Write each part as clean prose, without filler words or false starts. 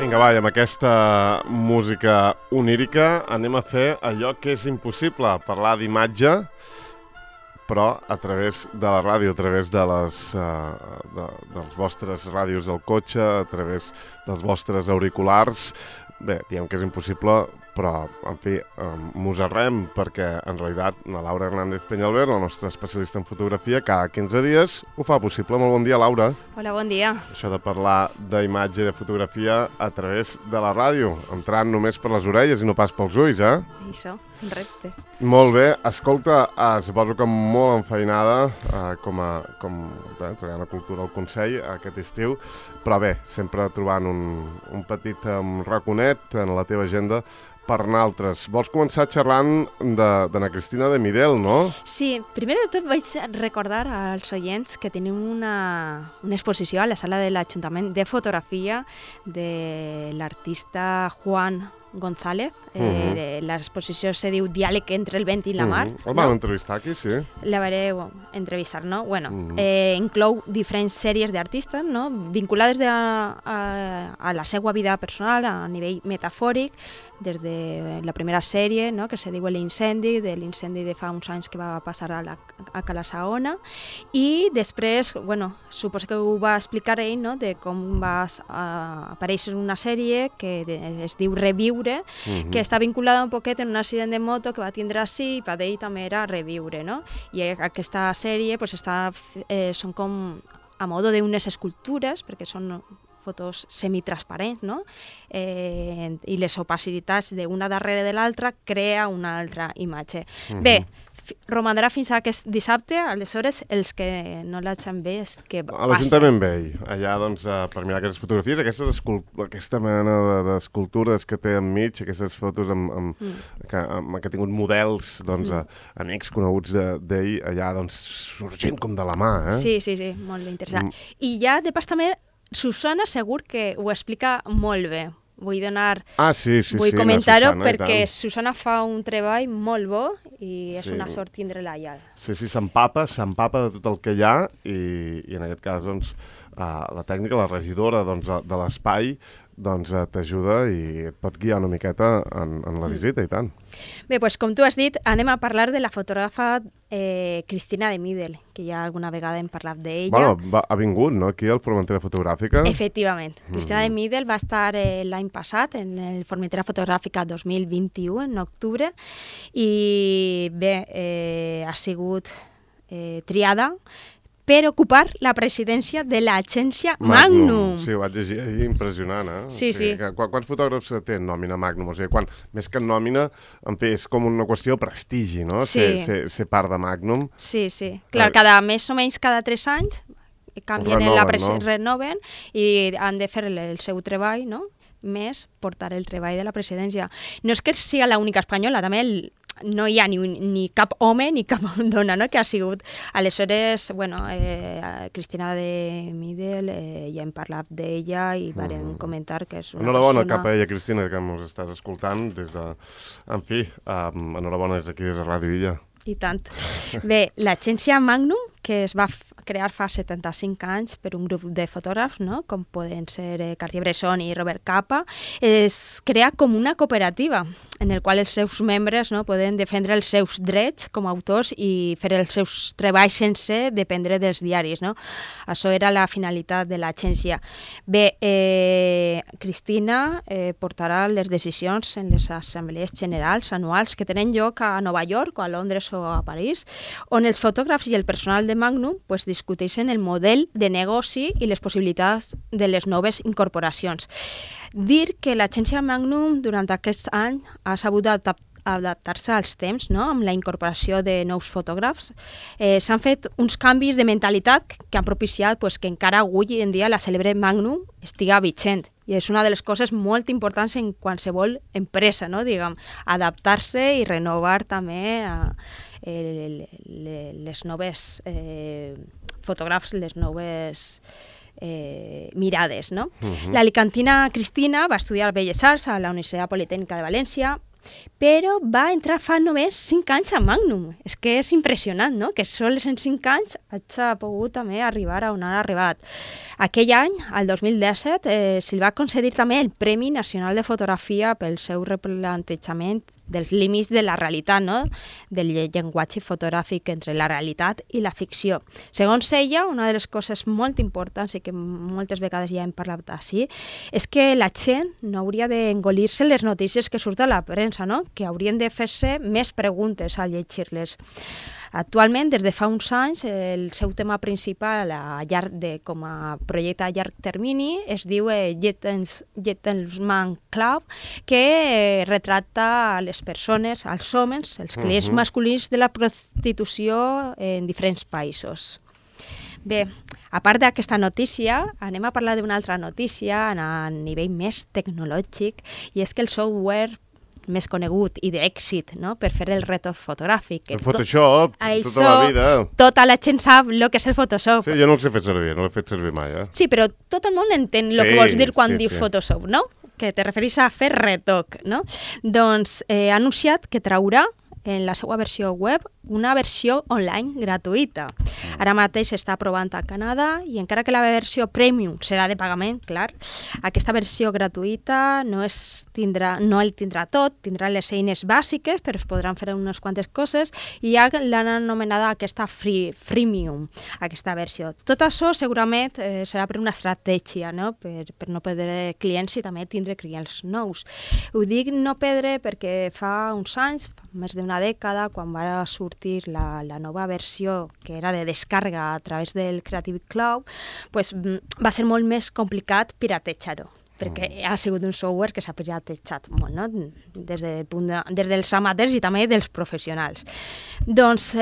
Vinga, va, i amb aquesta música onírica anem a fer allò que és impossible, parlar d'imatge, però a través de la ràdio, a través de dels vostres ràdios del cotxe, a través dels vostres auriculars. Bé, diem que és impossible, però, en fi, mos-arrem, perquè, en realitat, la Laura Hernández Peñalver, la nostra especialista en fotografia, cada 15 dies ho fa possible. Molt bon dia, Laura. Hola, bon dia. Això de parlar d'imatge i de fotografia a través de la ràdio, entrant només per les orelles i no pas pels ulls, eh? Això, un repte. Molt bé. Escolta, suposo que molt enfeinada treballant a Cultura al Consell aquest estiu, però bé, sempre trobant un petit raconet en la teva agenda per naltres. Vols començar xerrant d'Anna Cristina de Midel, no? Sí, primer de tot vaig recordar als oients que tenim una exposició a la sala de l'Ajuntament de fotografia de l'artista Juan González. L'exposició se diu Diàleg entre el vent i la mar. El vam entrevistar aquí, sí. La vareu entrevistar, no? Bueno, inclou diferents sèries d'artistes, no? Vinculades a la seva vida personal a nivell metafòric, des de la primera sèrie, no? Que se diu L'incendi, de l'incendi de fa uns anys que va passar a Cala Saona, i després, bueno, suposo que ho va explicar ell, no? De com va aparèixer una sèrie que es diu Reviure, que està vinculada un poquet en un accident de moto que va tindre així, i per ell també era reviure, no? I aquesta sèrie pues, són com a modo d'unes escultures, perquè són fotos semitransparents, no? I les opacitats d'una darrere de l'altra crea una altra imatge. Bé, romandrà fins a aquest dissabte, aleshores els que no l'hagin vist, que passen. A l'Ajuntament Vell, allà doncs, per mirar aquestes fotografies, aquesta mena d'escultures que té enmig, aquestes fotos que ha tingut models, doncs, amics coneguts d'ell, allà doncs, sorgint com de la mà, eh? Sí, molt interessant. I ja, de pas també, Susana segur que ho explica molt bé. Vull comentar-ho perquè Susana fa un treball molt bo i és una sort tindre-la allà. Sí, s'empapa de tot el que hi ha i en aquest cas doncs, la tècnica, la regidora de l'espai t'ajuda i et pot guiar una miqueta en la visita i tant. Bé, doncs com tu has dit, anem a parlar de la fotògrafa Cristina de Midel, que ja alguna vegada hem parlat d'ella. Bueno, ha vingut, no?, aquí al Formentera Fotogràfica. Efectivament. Cristina de Midel va estar l'any passat en el Formentera Fotogràfica 2021, en octubre, i bé, ha sigut triada per ocupar la presidència de l'agència Magnum. Sí, ho vaig llegir ahir, impressionant, eh? Sí. Quants fotògrafs té en nòmina Magnum? O sigui, més que en nòmina, en fi, és com una qüestió de prestigi, no? Ser part de Magnum. Sí. Clar, més o menys cada 3 anys canvien renoven i han de fer el seu treball, no? Més portar el treball de la presidència. No és que sigui l'única espanyola, també no hi ha ni cap home ni cap dona, no?, que ha sigut. Aleshores, bueno, Cristina de Midel, ja hem parlat d'ella i vam comentar que és una enhorabona cap a ella, Cristina, que ens estàs escoltant des de... En fi, enhorabona des d'aquí, des de Ràdio Illa. I tant. Bé, l'agència Magnum, que es va crear fa 75 anys per un grup de fotògrafs, no?, com poden ser Cartier-Bresson i Robert Capa, es crea com una cooperativa en el qual els seus membres, no, poden defendre els seus drets com a autors i fer els seus treballs sense dependre dels diaris, no? Això era la finalitat de l'agència. Bé, Cristina portarà les decisions en les assemblees generals anuals que tenen lloc a Nova York o a Londres o a París, on els fotògrafs i el personal de Magnum discuteixen el model de negoci i les possibilitats de les noves incorporacions. Dir que l'agència Magnum durant aquests anys ha sabut adaptar-se als temps, no?, amb la incorporació de nous fotògrafs. S'han fet uns canvis de mentalitat que han propiciat que encara avui en dia la cèlebre Magnum estiga vigent. I és una de les coses molt importants en qualsevol empresa, no?, diguem, adaptar-se i renovar també les noves fotògrafs, les noves mirades, no? L'alicantina Cristina va estudiar Belles Arts a la Universitat Politècnica de València, però va entrar fa només 5 anys a Magnum. És que és impressionant, no?, que sols en 5 anys hagi pogut també arribar a on ha arribat. Aquell any, el 2017, se'l va concedir també el Premi Nacional de Fotografia pel seu replantejament dels límits de la realitat, no?, del llenguatge fotogràfic entre la realitat i la ficció. Segons ella, una de les coses molt importants i que moltes vegades ja hem parlat així, és que la gent no hauria d'engolir-se les notícies que surten a la premsa, no?, que haurien de fer-se més preguntes al llegir-les. Actualment, des de fa uns anys, el seu tema principal com a projecte a llarg termini es diu Gentleman Club, que retrata les persones, els homes, els clients masculins de la prostitució en diferents països. Bé, a part d'aquesta notícia, anem a parlar d'una altra notícia a nivell més tecnològic, i és que el software més conegut i d'èxit, no?, per fer el retot fotogràfic. El Photoshop, tota la vida. Tota la gent sap el que és el Photoshop. Sí, jo no el sé fer servir, no l'he fet servir mai, Sí, però tot el món entén el que vols dir quan diu Photoshop, no?, que te referís a fer retoc, no? Doncs ha anunciat que traurà en la seva versió web una versió online gratuïta. Ara mateix s'està aprovant a Canadà i encara que la versió premium serà de pagament, clar, aquesta versió gratuïta no el tindrà tot, tindrà les eines bàsiques, però es podran fer unes quantes coses i ja l'han anomenada aquesta freemium, aquesta versió. Tot això segurament serà per una estratègia, no?, per no perdre clients i també tindre clients nous. Ho dic no perdre perquè fa uns anys, més d'una dècada, quan va sortir la nova versió que era de descàrrega a través del Creative Cloud, pues, va ser molt més complicat piratejar-ho, perquè ha sigut un software que s'ha piratejat molt, no?, des dels amateurs i també dels professionals. Doncs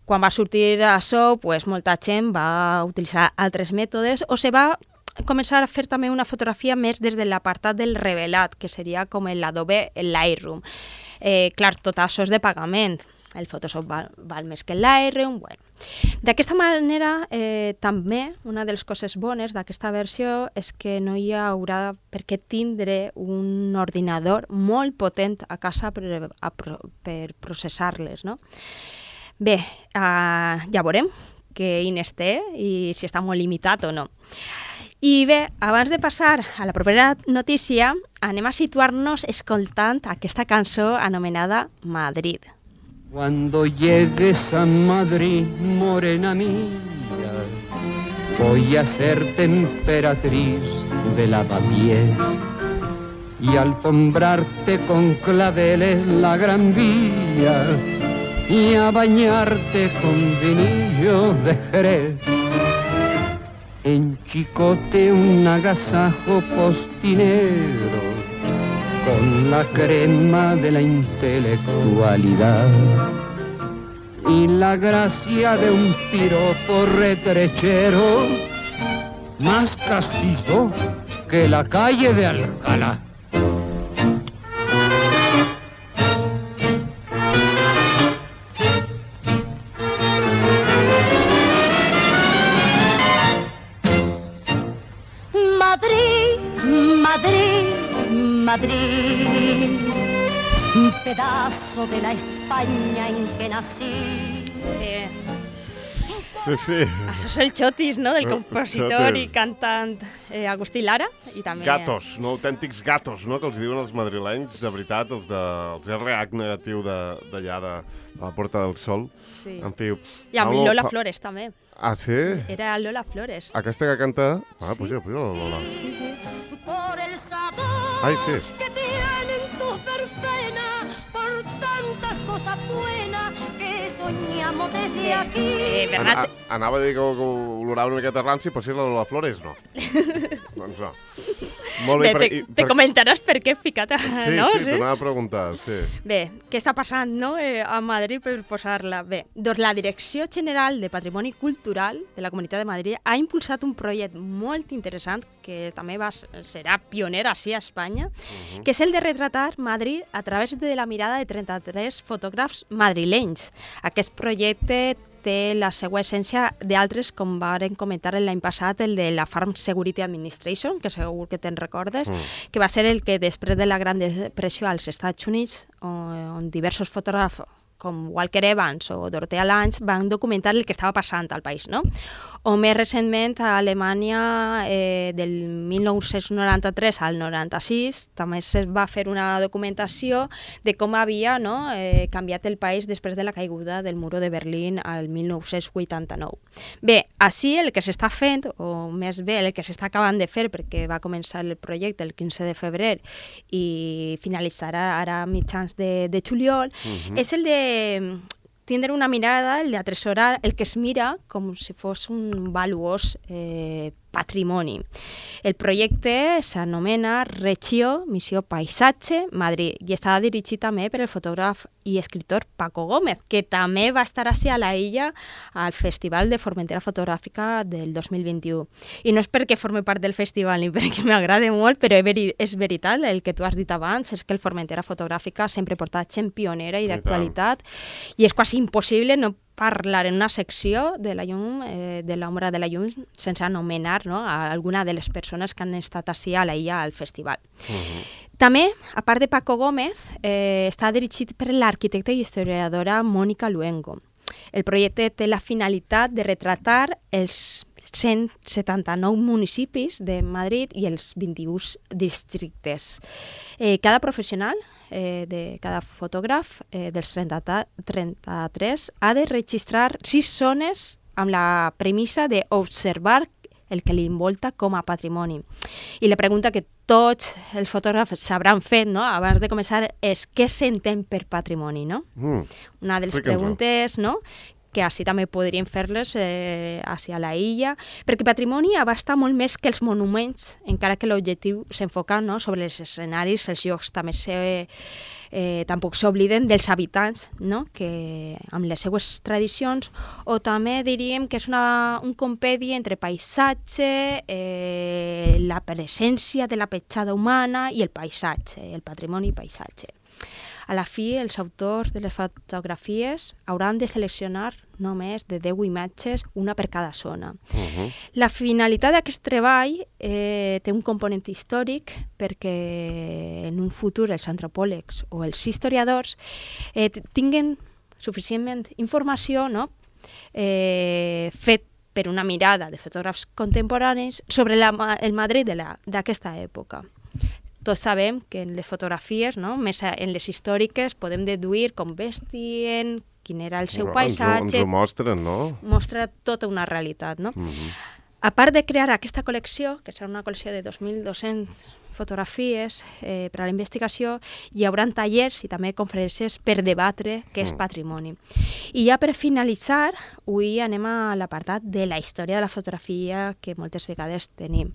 quan va sortir això, pues, molta gent va utilitzar altres mètodes o se va començar a fer també una fotografia més des de l'apartat del revelat, que seria com l'Adobe Lightroom. Clar, tot això és de pagament. El Photoshop val més que el Lightroom. Bueno. D'aquesta manera, també, una de les coses bones d'aquesta versió és que no hi haurà per què tindre un ordinador molt potent a casa per processar-les, no? Bé, ja veurem que eines té i si està molt limitat o no. I bé, abans de passar a la propera notícia, anem a situar-nos escoltant aquesta cançó anomenada Madrid. Cuando llegues a Madrid, morena mía, voy a ser emperatriz de lavapiés y alfombrarte con claveles la Gran Vía y a bañarte con vinillo de Jerez. En Chicote un agasajo postinero con la crema de la intelectualidad y la gracia de un piropo retrechero más castizo que la calle de Alcalá. Madrid, un pedazo de la España en que nací. Sí. Això és el Xotis, no?, del compositor i cantant Agustí Lara. I també... Gatos, no? Autèntics gatos, no?, que els diuen els madrilenys, de veritat, els RH negatiu d'allà, de la Porta del Sol. Sí. En fi... I amb Lola Flores, també. Ah, sí? Era Lola Flores. Aquesta que canta... Sí. Puja la Lola. Sí. Por el sabor Ai, sí. que tienen tus verbenas, por tantas cosas buenas que soñamos desde aquí. Bernat... Anava a dir que olorava una miqueta ranci, però si és la Lola Flores, no. Doncs no. Molt bé. Te comentaràs per què he ficat... no? Sí, t'anava a preguntar, sí. Bé, què està passant, no?, a Madrid per posar-la? Bé, doncs la Direcció General de Patrimoni Cultural de la Comunitat de Madrid ha impulsat un projecte molt interessant que també serà pioner així a Espanya, que és el de retratar Madrid a través de la mirada de 33 fotògrafs madrilenys. Aquest projecte té la seva essència d'altres, com varen comentar l'any passat, el de la Farm Security Administration, que segur que te'n recordes, que va ser el que després de la Gran Depressió als Estats Units, on diversos fotògrafs com Walker Evans o Dorothea Lange van documentar el que estava passant al país, no? O més recentment a Alemanya del 1993 al 96 també es va fer una documentació de com havia canviat el país després de la caiguda del muro de Berlín al 1989. Bé, així el que s'està fent, o més bé el que s'està acabant de fer, perquè va començar el projecte el 15 de febrer i finalitzarà ara a mitjans de juliol, és el de tindre una mirada, el d'atresorar el que es mira com si fos un valuós patrimoni. El projecte s'anomena Reggio Missió Paisatge Madrid i està dirigit també per el fotògraf i escriptor Paco Gómez, que també va estar així a la illa al Festival de Formentera Fotogràfica del 2021. I no és perquè forme part del festival ni perquè m'agrada molt, però és veritat, el que tu has dit abans, és que el Formentera Fotogràfica sempre porta gent pionera i d'actualitat, i és quasi impossible no parlar en una secció de la llum, de l'ombra de la llum, sense anomenar a alguna de les persones que han estat així a la illa al festival. També, a part de Paco Gómez, està dirigit per l'arquitecta i historiadora Mònica Luengo. El projecte té la finalitat de retratar els 179 municipis de Madrid i els 21 districtes. Cada professional, cada fotògraf dels 33 ha de registrar 6 zones amb la premissa d'observar el que li envolta com a patrimoni. I la pregunta que tots els fotògrafs s'hauran fet abans de començar és què s'entén per patrimoni, no? Una de les preguntes, que així també podríem fer-les a la illa, perquè patrimoni abasta molt més que els monuments, encara que l'objectiu s'enfoca sobre els escenaris, els llocs, també tampoc s'obliden dels habitants, que amb les seues tradicions, o també diríem que és un compendi entre paisatge, la presència de la petjada humana i el paisatge, el patrimoni i paisatge. A la fi, els autors de les fotografies hauran de seleccionar només de 10 imatges, una per cada zona. La finalitat d'aquest treball té un component històric perquè en un futur els antropòlegs o els historiadors tinguen suficientment informació fet per una mirada de fotògrafs contemporanis sobre el Madrid d'aquesta època. Tots sabem que en les fotografies, més en les històriques, podem deduir com vestien, quin era el seu paisatge. Ens ho mostren, no? Mostra tota una realitat, no? A part de crear aquesta col·lecció, que serà una col·lecció de 2.200 fotografies per a la investigació, hi haurà tallers i també conferències per debatre què és patrimoni. I ja per finalitzar, avui anem a l'apartat de la història de la fotografia que moltes vegades tenim.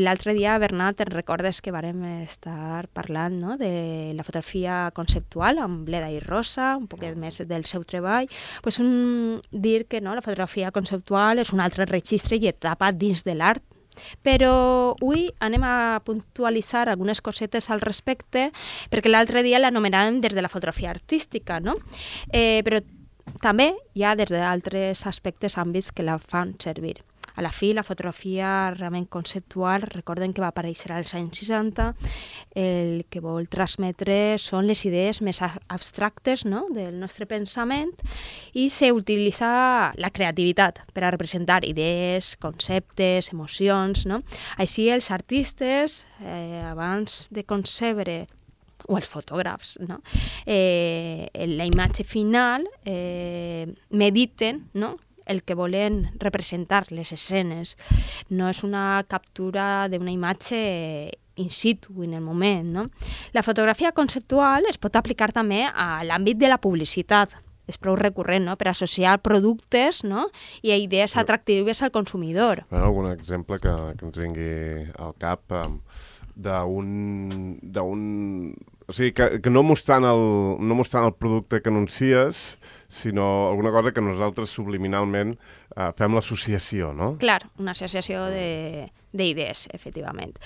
L'altre dia, Bernat, te'n recordes que vàrem estar parlant de la fotografia conceptual amb Bleda i Rosa, un poquet més del seu treball. Dir que la fotografia conceptual és un altre registre i etapa dins de l'art, però avui anem a puntualitzar algunes cosetes al respecte, perquè l'altre dia l'anomenàvem des de la fotografia artística, però també hi ha des d'altres aspectes, àmbits que la fan servir. A la fi, la fotografia realment conceptual, recorden que va aparèixer als anys 60, el que vol transmetre són les idees més abstractes del nostre pensament i s'utilitza la creativitat per a representar idees, conceptes, emocions. Així, els artistes, abans de concebre o els fotògrafs, la imatge final, mediten, el que volen representar, les escenes. No és una captura d'una imatge in situ, en el moment. La fotografia conceptual es pot aplicar també a l'àmbit de la publicitat. És prou recurrent, per associar productes i idees atractives al consumidor. Algun exemple que ens vingui al cap d'un... O sigui, que no mostrant el producte que anuncies, sinó alguna cosa que nosaltres subliminalment fem l'associació, no? Clar, una associació d'idees, efectivament.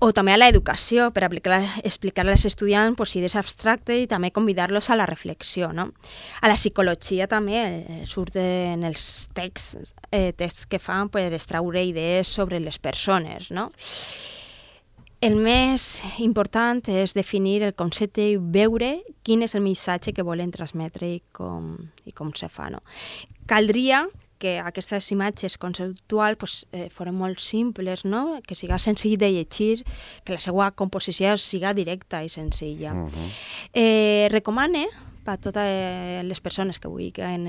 O també a l'educació, per explicar als estudiants idees abstractes i també convidar-los a la reflexió. No? A la psicologia també surten els texts que fan per extraure idees sobre les persones. No? El més important és definir el concepte i veure quin és el missatge que volen transmetre i com se fa. No? Caldria que aquestes imatges conceptuals foren molt simples, no? Que siga senzill de llegir, que la seva composició siga directa i senzilla. Recomane per a totes les persones que vulguin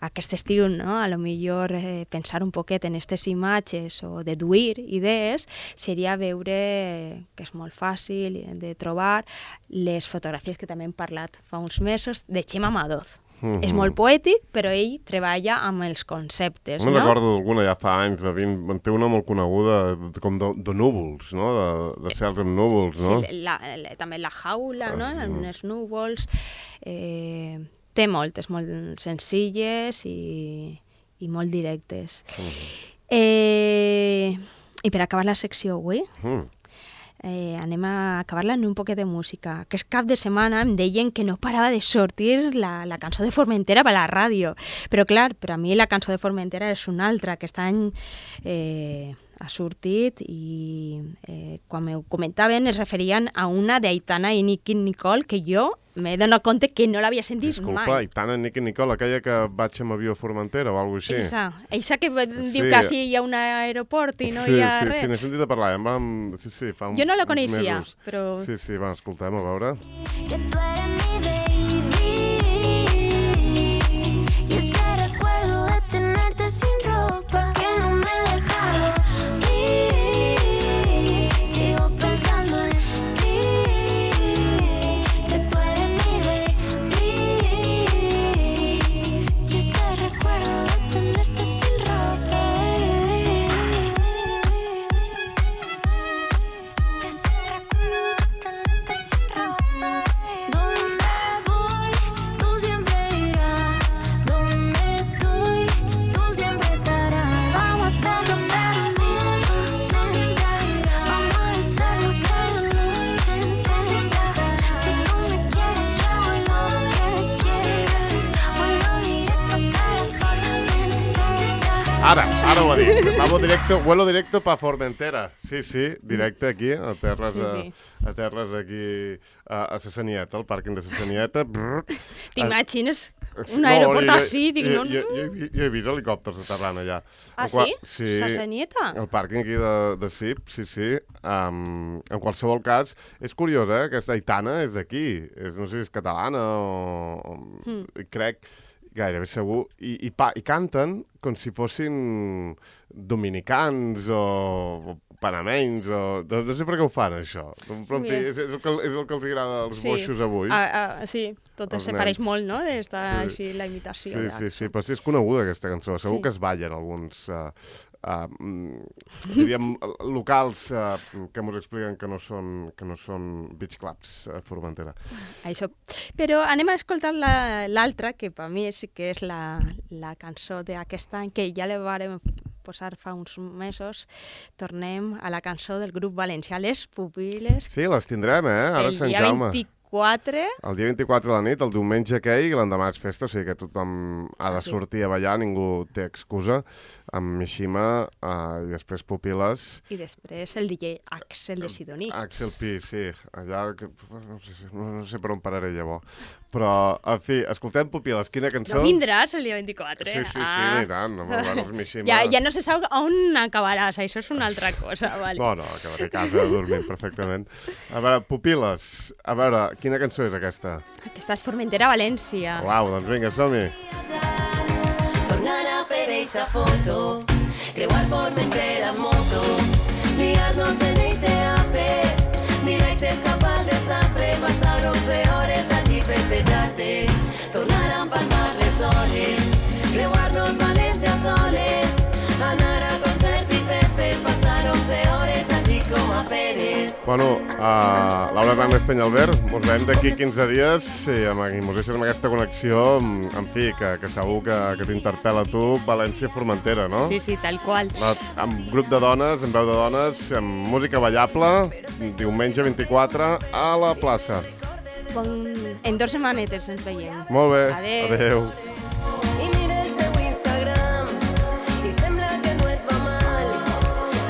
aquest estiu, no? A lo millor pensar un poquet en aquestes imatges o deduir idees seria veure que és molt fàcil de trobar les fotografies que també hem parlat fa uns mesos de Chema Madoz. És molt poètic, però ell treballa amb els conceptes, no? Me'n recordo d'alguna ja fa anys, té una molt coneguda com de núvols, no? De cels amb núvols, no? Sí, també la jaula, no? En els núvols. Té moltes, molt senzilles i molt directes. I per acabar la secció avui, anem a acabar-la en un poquet de música. Aquest cap de setmana em deien que no parava de sortir la cançó de Formentera per la ràdio. Però clar, per a mi la cançó de Formentera és una altra. Aquest any ha sortit i quan m'ho comentaven es referien a una d'Aitana i Nicky Nicole que jo m'he donat compte que no l'havia sentit mai. Disculpa, Aitana i Nicky Nicole, aquella que vaig amb avió a Formentera o alguna cosa així. Eixa que diu que sí hi ha un aeroport i no hi ha res. Sí, n'he sentit a parlar. Sí, fa uns mesos. Jo no la coneixia, però... Sí, va, escoltem, a veure. Que tú eres mi baby y ese recuerdo de tenerte sin ropa que no me deja ir. Sigo pensando en ti, que tú eres mi baby y ese recuerdo de tenerte sin ropa. Ara ho ha dit. Vuelo directo pa Formentera. Sí, directe aquí, a terres aquí a Sassanieta, al pàrquing de Sassanieta. T'imagines un aeroport així? Jo he vist helicòpters aterrant allà. Ah, sí? Sí. Sassanieta? El pàrquing aquí de CIP, sí. En qualsevol cas, és curiós, aquesta Aitana és d'aquí. No sé si és catalana o... Crec... Gairebé segur, i canten com si fossin dominicans o panamenys, no sé per què ho fan, això. Però, en fi, és el que els agrada als boixos avui. Sí, tot se pareix molt, no?, d'estar així la imitació. Sí, però sí és coneguda aquesta cançó. Segur que es ballen alguns... diríem, locals que ens expliquen que no són beach clubs a Formentera. Això. Però anem a escoltar l'altra, que per mi sí que és la cançó d'aquest any, que ja la vàrem posar fa uns mesos. Tornem a la cançó del grup valencià, Les Pupil·les. Sí, les tindrem, ara Sant Jaume. El dia 24 de la nit, el diumenge aquell, i l'endemà és festa, o sigui que tothom ha de sortir a ballar, ningú té excusa, amb Mishima i després Pupil·les. I després el DJ Axel de Sidoní. Axel Pi, sí, allà, no sé per on pararé llavors. Però, en fi, escoltem Pupil·les, quina cançó? No vindràs el dia 24, Sí, i tant, no els Mishima. Ja no se sap on acabaràs, això és una altra cosa, vale. No, acabaré a casa dormint perfectament. A veure, Pupil·les, a veure, quina cançó és aquesta? Aquesta és Formentera, València. Uau, doncs vinga, som-hi. Tornar a fer eixa foto, creuar Formentera en moto, liar-nos en eixe ape, directes cap al desastre, passar 11 hores allí festejar-te, tornar a empalmar les hores, creuar-nos València soles, anar a concerts i festes, passar 11 hores allí com a feres. Bueno, Laura Hernández Peñalver, mos veiem d'aquí 15 dies i mos deixes amb aquesta connexió, en fi, que segur que t'interpel·la a tu, València-Formentera, no? Sí, tal qual. Amb grup de dones, amb veu de dones, amb música ballable, diumenge 24 a la plaça. En 2 setmanetes ens veiem. Molt bé, Adeu. adeu. I mira el teu Instagram i sembla que no et va mal.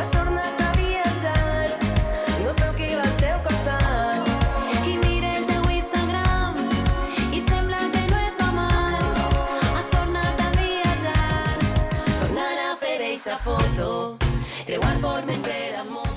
Has tornat a viatjar, no sabeu qui va al teu costat. I mira el teu Instagram i sembla que no et va mal. Has tornat a viatjar. Tornar a fer eixa foto, creuar Formentera amb